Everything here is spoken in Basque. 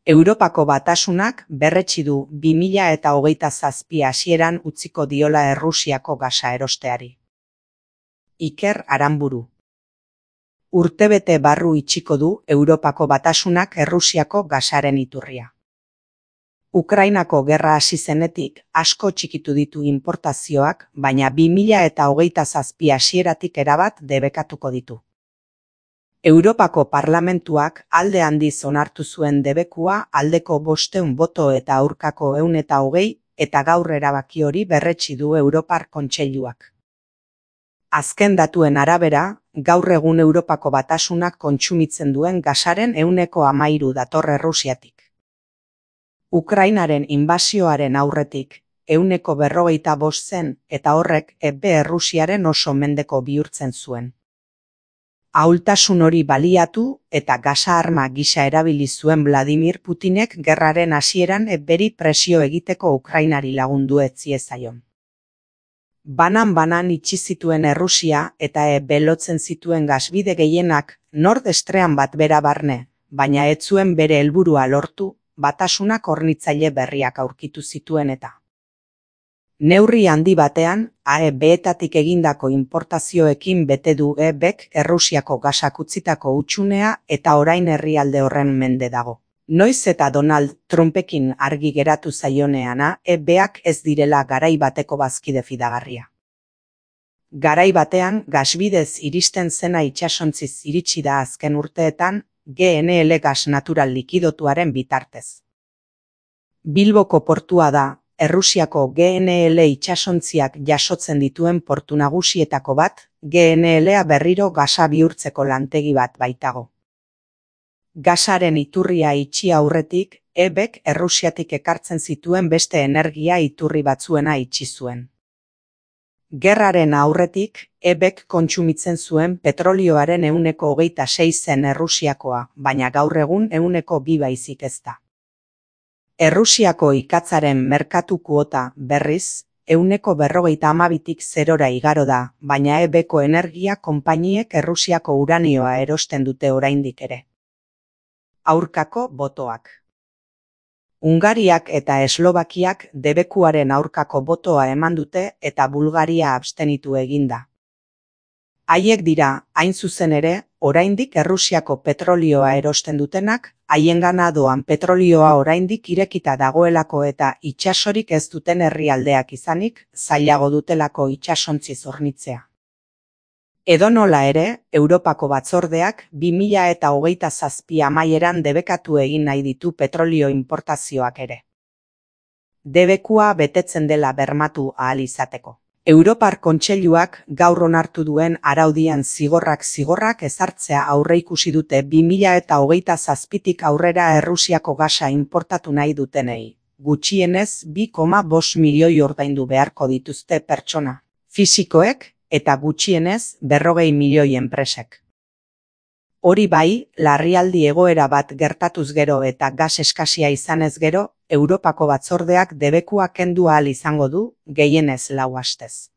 Europako Batasunak berretsi du 2027 hasieran utziko diola Errusiako gasa erosteari. Iker Aranburu. Urtebete barru itxiko du Europako Batasunak Errusiako gasaren iturria. Ukrainako gerra hasi zenetik asko txikitu ditu inportazioak, baina 2027 hasieratik erabat debekatuko ditu. Europako Parlamentuak alde handiz onartu zuen debekua aldeko 500 boto eta aurkako 120 eta gaur erabaki hori berretsi du Europar Kontseiluak. Azken datuen arabera, gaur egun Europako Batasunak kontsumitzen duen gasaren 13% dator Errusiatik. Ukrainaren inbasioaren aurretik 145 zen eta horrek Errusiaren oso mendeko bihurtzen zuen. Ahultasun hori baliatu eta gasa arma gisa erabili zuen Vladimir Putinek gerraren hasieran beri presio egiteko Ukrainari lagundu ez ziezaion. Banan itxi zituen Errusia eta belotzen zituen gasbide gehienak Nord Stream bat bera barne, baina ez zuen bere helburua lortu, Batasunak hornitzaile berriak aurkitu zituen eta. Neurri handi batean, AEB-etatik egindako inportazioekin bete du EBek Errusiako gasak utzitako hutsunea eta orain herrialde horren mende dago. Noiz eta Donald Trumpekin argi geratu zaioneana, EBak ez direla garai bateko bazkide fidagarria. Garai batean, gasbidez iristen zena itsasontziz iritsi da azken urteetan, GNL gas natural likidotuaren bitartez. Bilboko portua da, Errusiako GNL itsasontziak jasotzen dituen portu nagusietako bat, GNL-a berriro gasa bihurtzeko lantegi bat baitago. Gasaren iturria itxi aurretik, EBek Errusiatik ekartzen zituen beste energia iturri batzuena itxi zuen. Gerraren aurretik, EBek kontsumitzen zuen petrolioaren 26% zen Errusiakoa, baina gaur egun 2% baizik ez da. Errusiako ikatzaren merkatu kuota, berriz, 52%tik 0 igaro da, baina EBeko energia konpainiek Errusiako uranioa erosten dute oraindik ere. Aurkako botoak. Hungariak eta Eslovakiak debekuaren aurkako botoa eman dute eta Bulgaria abstenitu eginda. Haiek dira, hain zuzen ere, oraindik Errusiako petrolioa erosten dutenak, haiengana doan petrolioa oraindik irekita dagoelako eta itsasorik ez duten herrialdeak izanik, zailago dutelako itsasontziz hornitzea. Edonola ere, Europako Batzordeak 2027 amaieran debekatu egin nahi ditu petrolio inportazioak ere. Debekua betetzen dela bermatu ahal izateko. Europar Kontseiluak gaur onartu duen araudian zigorrak ezartzea aurreikusi dute 2027tik aurrera Errusiako gasa inportatu nahi dutenei. Gutxienez 2,5 milioi ordaindu beharko dituzte pertsona fisikoek eta gutxienez 40 milioi enpresek. Hori bai, larrialdi egoera bat gertatuz gero eta gas eskasia izanez gero, Europako Batzordeak debekua kendu ahal izango du, gehienez 4 astez.